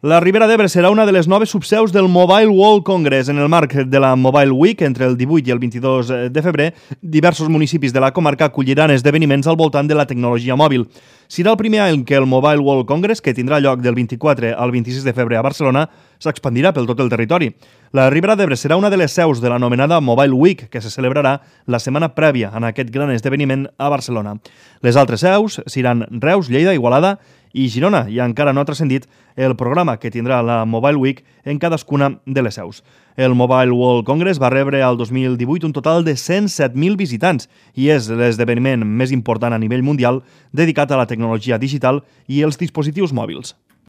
La Ribera d'Ebre serà una de les noves subseus del Mobile World Congress. En el marc de la Mobile Week, entre el 18 i el 22 de febrer, diversos municipis de la comarca acolliran esdeveniments al voltant de la tecnologia mòbil. Serà el primer any que el Mobile World Congress, que tindrà lloc del 24 al 26 de febrer a Barcelona, s'expandirà pel tot el territori. La Ribera d'Ebre serà una de les seus de l'anomenada Mobile Week, que se celebrarà la setmana prèvia en aquest gran esdeveniment a Barcelona. Les altres seus seran Reus, Lleida, Igualada i Girona, i encara no ha transcendit el programa que tindrà la Mobile Week en cadascuna de les seus. El Mobile World Congress va rebre al 2018 un total de 107.000 visitants i és l'esdeveniment més important a nivell mundial dedicat a la tecnologia digital i els dispositius mòbils.